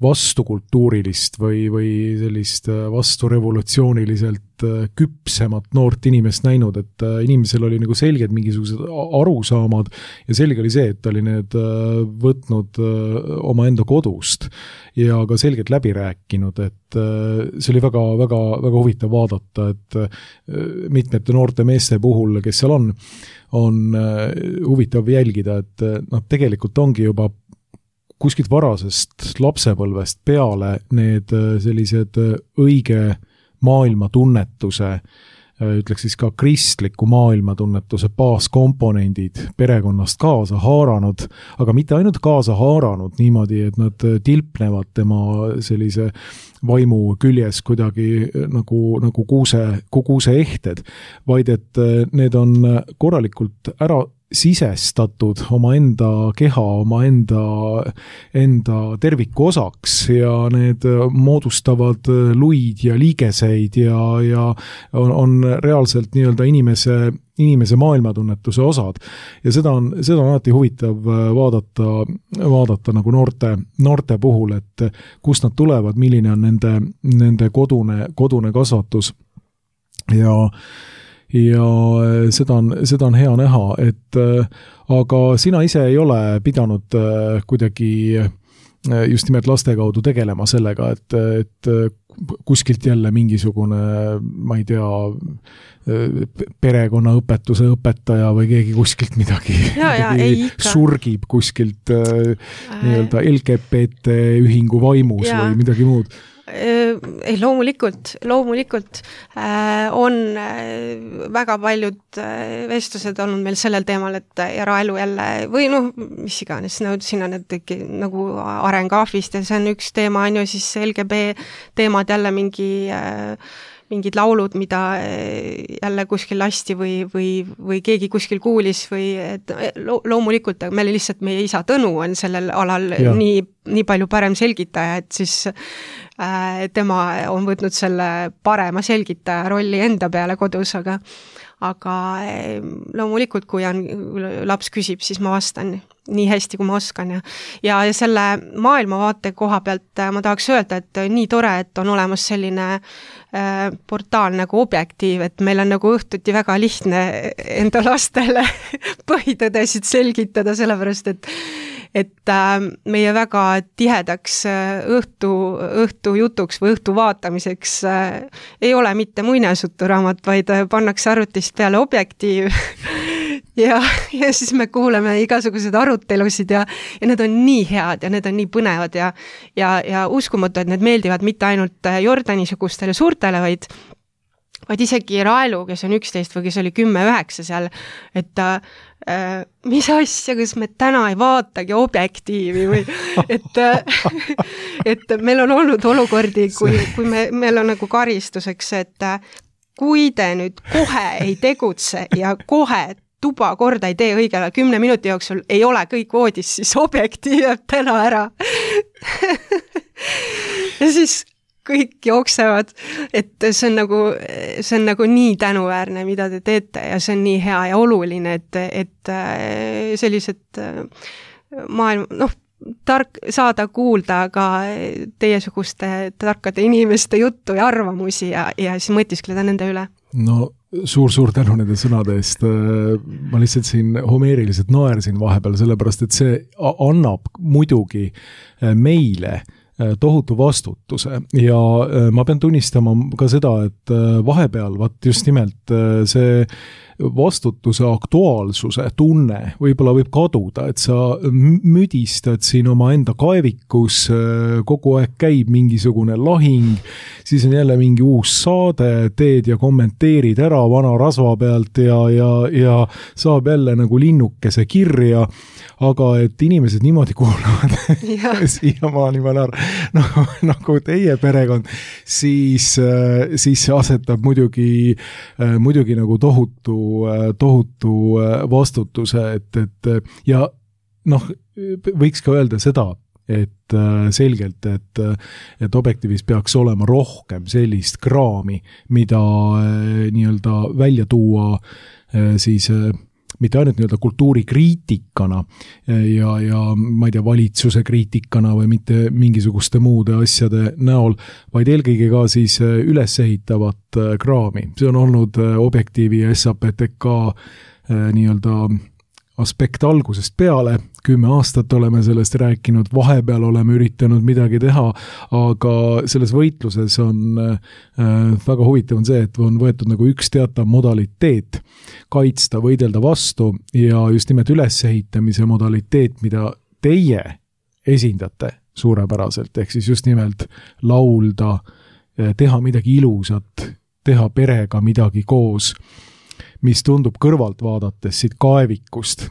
vastukultuurilist või sellist vasturevolutsiooniliselt küpsemat noort inimest näinud, et inimesel oli nagu selged mingisugused arusaamad ja selge oli see, et ta oli need võtnud oma enda kodust ja ka selgelt läbi rääkinud, et see oli väga, väga, väga huvitav vaadata, et mitmete noorte meeste puhul, kes seal on huvitav jälgida, et tegelikult ongi juba kuskilt varasest lapsepõlvest peale need sellised õige maailmatunnetuse, ütleks siis ka kristliku maailmatunnetuse baaskomponendid perekonnast kaasa haaranud, aga mitte ainult kaasa haaranud niimoodi, et nad tilpnevad tema sellise vaimu küljes kuidagi nagu kuuse ehted, vaid et need on korralikult ära sisestatud oma enda keha, oma enda terviku osaks ja need moodustavad luid ja liigeseid ja on reaalselt nii-öelda inimese maailmatunnetuse osad. Ja seda on alati huvitav vaadata nagu noorte puhul, et kust nad tulevad, milline on nende kodune kasvatus ja seda on hea näha, et aga sina ise ei ole pidanud kuidagi just nimelt laste kaudu tegelema sellega, et kuskilt jälle mingisugune, ma ei tea, perekonnaõpetuse õpetaja või keegi kuskilt midagi surgib kuskilt nii-öelda LGBT ühingu vaimus või midagi muud. Ei, loomulikult on väga paljud vestlused olnud meil sellel teemal, et eraelu jälle või mis iganes, siin on need nagu arengaafist ja see on üks teema, on ju siis LGB teemad jälle mingid laulud, mida jälle kuskil lasti või keegi kuskil kuulis või et loomulikult, aga meie isa Tõnu on sellel alal nii palju parem selgitaja, et siis tema on võtnud selle parema selgitaja rolli enda peale kodus, aga loomulikult, kui laps küsib, siis ma vastan nii hästi, kui ma oskan ja selle maailmavaate koha pealt ma tahaks öelda, et nii tore, et on olemas selline portaal nagu Objektiiv, et meil on nagu õhtuti väga lihtne enda lastele põhitõdesid selgitada, sellepärast et meie väga tihedaks õhtu jutuks või õhtu vaatamiseks ei ole mitte muinasjuturaamat, vaid pannakse arvutist peale Objektiiv ja siis me kuuleme igasuguseid arutelusid ja need on nii head ja need on nii põnevad ja uskumatu, et need meeldivad mitte ainult Jordani-sugustele suurtele, vaid isegi Raelu, kes on 11 või kes oli 10-9 seal, et mis asja, kas me täna ei vaatagi Objektiivi või et meil on olnud olukordi, kui meil on nagu karistuseks, et kui te nüüd kohe ei tegutse ja kohe tuba korda ei tee õigel 10 minuti jooksul, ei ole kõik voodis, siis Objektiiv jääb täna ära. Ja siis kõik jooksevad, et see on nagu nii tänuväärne, mida te teete ja see on nii hea ja oluline, et sellised maailm, saada kuulda ka teiesuguste tarkade inimeste juttu ja arvamusi ja siis mõtiskleda nende üle. No suur tänu nende sõnade eest. Ma lihtsalt siin homeeriliselt naersin vahepeal, sellepärast, et see annab muidugi meile tohutu vastutuse ja ma pean tunnistama ka seda, et vahepeal just nimelt see vastutuse aktuaalsuse tunne võib-olla võib kaduda, et sa müdistad siin oma enda kaevikus, kogu aeg käib mingisugune lahing, siis on jälle mingi uus saade, teed ja kommenteerid ära vana rasva pealt ja saab jälle nagu linnukese kirja, aga et inimesed niimoodi kuulavad siiamaani ma nagu teie perekond, siis see asetab muidugi nagu tohutu vastutuse, et ja võiks ka öelda seda, et selgelt, et Objektiivis peaks olema rohkem sellist kraami, mida nii-öelda välja tuua siis mitte ainult nii-öelda kultuurikriitikana ja ma ei tea, valitsuse kriitikana või mitte mingisuguste muude asjade näol, vaid eelkõige ka siis ülesehitavat kraami. See on olnud Objektiivi ja SAPTK nii-öelda aspekt algusest peale, 10 aastat oleme sellest rääkinud, vahepeal oleme üritanud midagi teha, aga selles võitluses on väga huvitav on see, et on võetud nagu üks teatav modaliteet kaitsta, võidelda vastu ja just nimelt ülesehitamise modaliteet, mida teie esindate suurepäraselt, ehk siis just nimelt laulda, teha midagi ilusat, teha perega midagi koos, mis tundub kõrvalt vaadates siit kaevikust,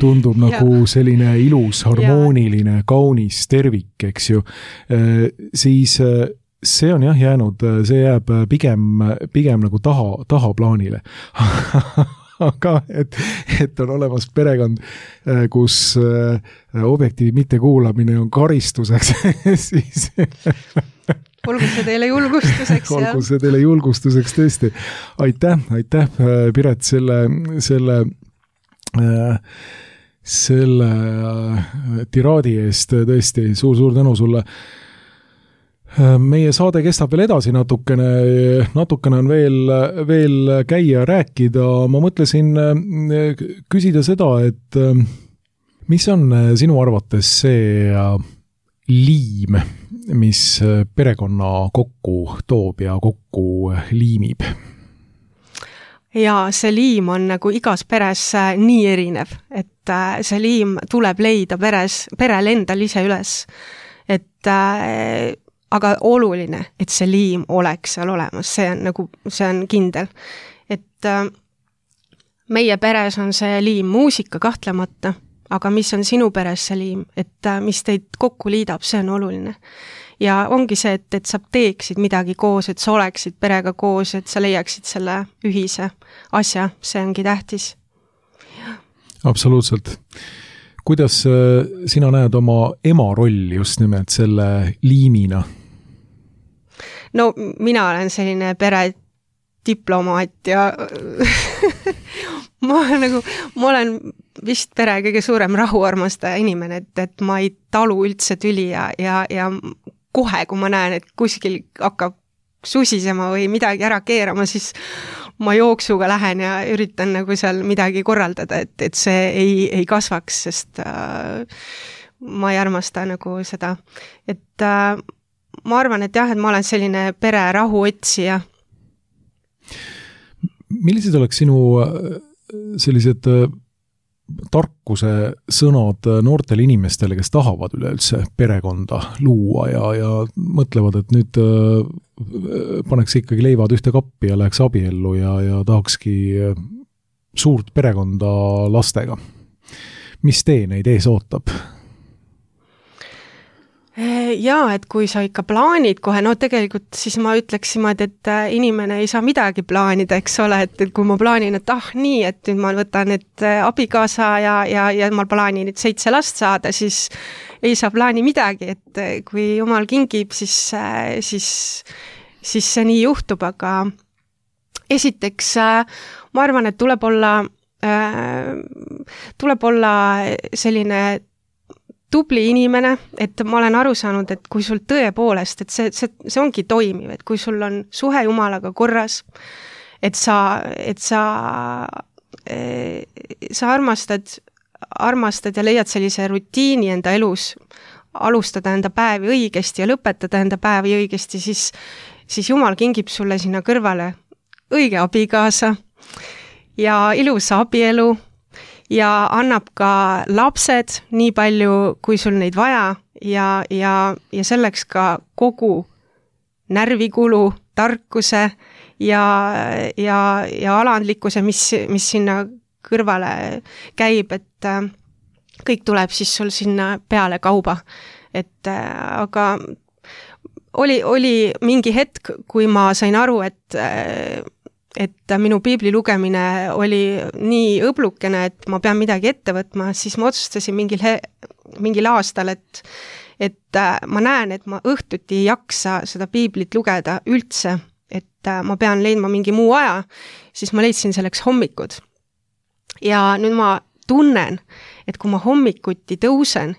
tundub nagu selline ilus, harmooniline, kaunis tervik, eks ju, siis see on jah jäänud, see jääb pigem nagu tahaplaanile. Aga et on olemas perekond, kus Objektiivi mittekuulamine on karistuseks, siis olgu see teile julgustuseks. Olgu see teile julgustuseks, tõesti. Aitäh, Piret, selle tiraadi eest, tõesti, suur tänu sulle. Meie saade kestab veel edasi natukene on veel käia rääkida. Ma mõtlesin küsida seda, et mis on sinu arvates see liim, mis perekonna kokku toob ja kokku liimib? Ja see liim on nagu igas peres nii erinev, et see liim tuleb leida perel endal ise üles. Aga oluline, et see liim oleks seal olemas, see on kindel. Et meie peres on see liim muusika kahtlemata, aga mis on sinu peres see liim, et mis teid kokku liidab, see on oluline. Ja ongi see, et sa teeksid midagi koos, et sa oleksid perega koos, et sa leiaksid selle ühise asja, see ongi tähtis. Absoluutselt. Kuidas sina näed oma ema rolli just nimelt selle liimina? No mina olen selline pere diplomaat ja ma olen vist pere kõige suurem rahuarmastaja inimene, et ma ei talu üldse tüli ja kohe, kui ma näen, et kuskil hakkab susisema või midagi ära keerama, siis ma jooksuga lähen ja üritan nagu seal midagi korraldada, et see ei kasvaks, sest ma ei armasta nagu seda. Et ma arvan, et jah, et ma olen selline pere rahuotsija. Millised oleks sinu sellised tarkuse sõnad noortele inimestele, kes tahavad üleüldse perekonda luua ja mõtlevad, et nüüd paneks ikkagi leivad ühte kappi ja läheks abiellu ja tahakski suurt perekonda lastega. Mis tee neid ees ootab? Jaa, et kui sa ikka plaanid kohe, no tegelikult siis ma ütleksin, et inimene ei saa midagi plaanida, eks ole, et kui ma plaanin, et nii, et nüüd ma võtan abikaasa ja ma plaanin 7 last saada, siis ei saa plaani midagi, et kui jumal kingib, siis see nii juhtub, aga esiteks ma arvan, et tuleb olla selline tubli inimene, et ma olen aru saanud, et kui sul tõepoolest, et see ongi toimiv, et kui sul on suhe Jumalaga korras, et sa armastad ja leiad sellise rutiini enda elus, alustada enda päevi õigesti ja lõpetada enda päevi õigesti, siis Jumal kingib sulle sinna kõrvale õige abikaasa ja ilusa abielu, ja annab ka lapsed nii palju, kui sul neid vaja ja selleks ka kogu närvikulu, tarkuse ja alandlikkuse, mis sinna kõrvale käib, et kõik tuleb siis sul sinna peale kauba. Aga oli mingi hetk, kui ma sain aru, et minu piibli lugemine oli nii õblukene, et ma pean midagi ette võtma, siis ma otsustasin mingil aastal, et ma näen, et ma õhtuti ei jaksa seda piiblit lugeda üldse, et ma pean leidma mingi muu aja, siis ma leidsin selleks hommikud. ja nüüd ma tunnen, et kui ma hommikuti tõusen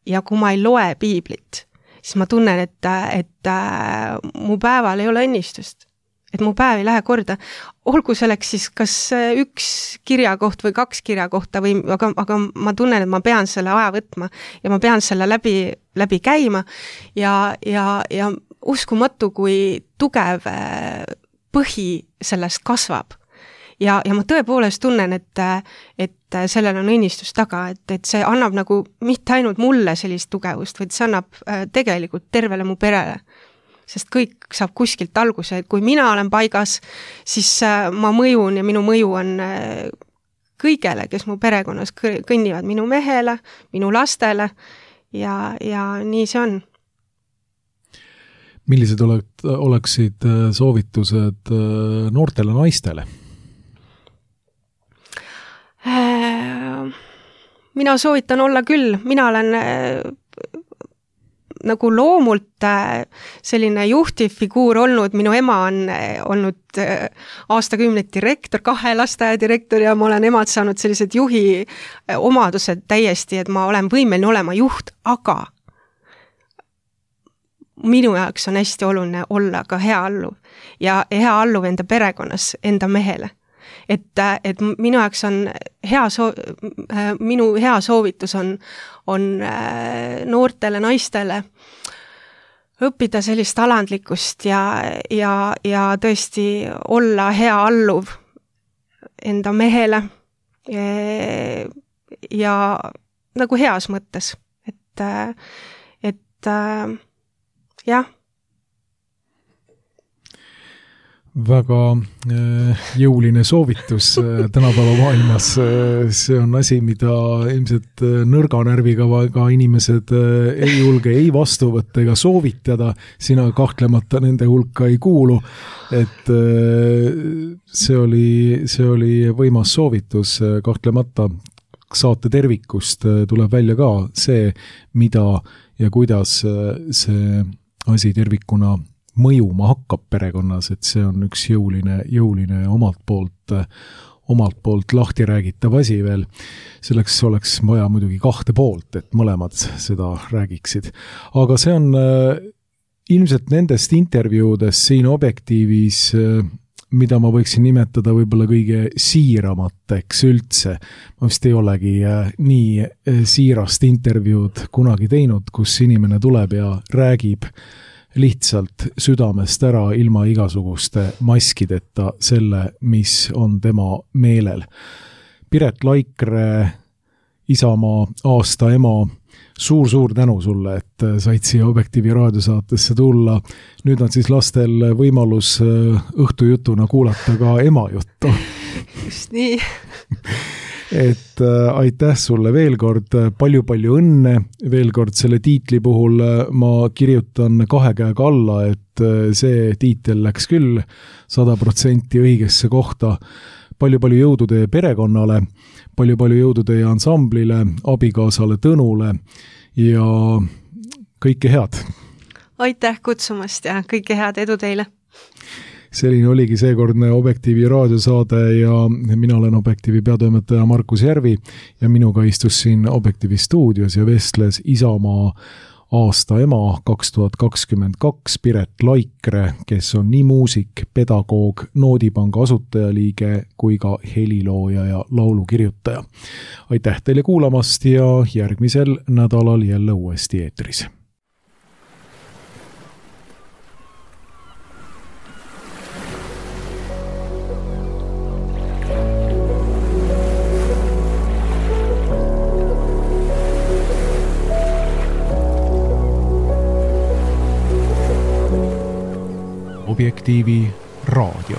ja kui ma ei loe piiblit, siis ma tunnen, et mu päeval ei ole õnnistust. Et mu päev ei lähe korda. Olgu selleks siis kas üks kirjakoht või 2 kirjakohta, aga ma tunnen, et ma pean selle aja võtma ja ma pean selle läbi käima ja uskumatu, kui tugev põhi sellest kasvab. Ja ma tõepoolest tunnen, et sellel on õnnistus taga, et see annab nagu mitte ainult mulle sellist tugevust, vaid see annab tegelikult tervele mu perele. Sest kõik saab kuskilt alguse, et kui mina olen paigas, siis ma mõjun ja minu mõju on kõigele, kes mu perekonnas kõnnivad, minu mehele, minu lastele ja nii see on. Millised oleksid soovitused noortele naistele? Mina soovitan olla küll, mina olen nagu loomult selline juhtivfiguur olnud, minu ema on olnud aastakümneid direktor, 2 lasteaia direktor ja ma olen emad saanud sellised juhi omadused täiesti, et ma olen võimeline olema juht, aga minu jaoks on hästi oluline olla ka hea alluv ja hea alluv enda perekonnas, enda mehele. Et minu jaoks on minu hea soovitus on noortele naistele õppida sellist alandlikkust ja tõesti olla hea alluv enda mehele ja nagu heas mõttes, et jah. Väga jõuline soovitus tänapäeva maailmas. See on asi, mida ilmselt nõrga närviga ka inimesed ei julge ei vastu võtta ega soovitada. Sina kahtlemata nende hulka ei kuulu. Et see oli võimas soovitus kahtlemata. Saate tervikust tuleb välja ka see, mida ja kuidas see asi tervikuna mõjuma hakkab perekonnas, et see on üks jõuline omalt poolt lahti räägitav asi veel. Selleks oleks vaja muidugi 2 poolt, et mõlemad seda räägiksid. Aga see on ilmselt nendest intervjuudest siin Objektiivis, mida ma võiksin nimetada võib-olla kõige siiramateks üldse. Ma vist ei olegi nii siirast intervjuud kunagi teinud, kus inimene tuleb ja räägib lihtsalt südamest ära ilma igasuguste maskideta selle, mis on tema meelel. Piret Laikre, Isamaa aasta ema, suur tänu sulle, et said siia Objektiivi raadiosaatesse tulla. Nüüd on siis lastel võimalus õhtujutuna kuulata ka ema juttu. Just nii. Et aitäh sulle veel kord, palju õnne, veel kord selle tiitli puhul ma kirjutan 2 käega alla, et see tiitel läks küll 100% õigesse kohta. Palju jõudu teie perekonnale, palju jõudu teie ansamblile, abikaasale Tõnule ja kõike head. Aitäh kutsumast ja kõike head, edu teile. Selline oligi seekordne Objektiivi raadiosaade ja mina olen Objektiivi peatoimetaja Markus Järvi ja minuga istus siin Objektiivi stuudios ja vestles Isamaa aasta ema 2022 Piret Laikre, kes on nii muusik, pedagoog, Noodipanga asutajaliige kui ka helilooja ja laulukirjutaja. Aitäh teile kuulamast ja järgmisel nädalal jälle uuesti eetris. Objektiivi raadio.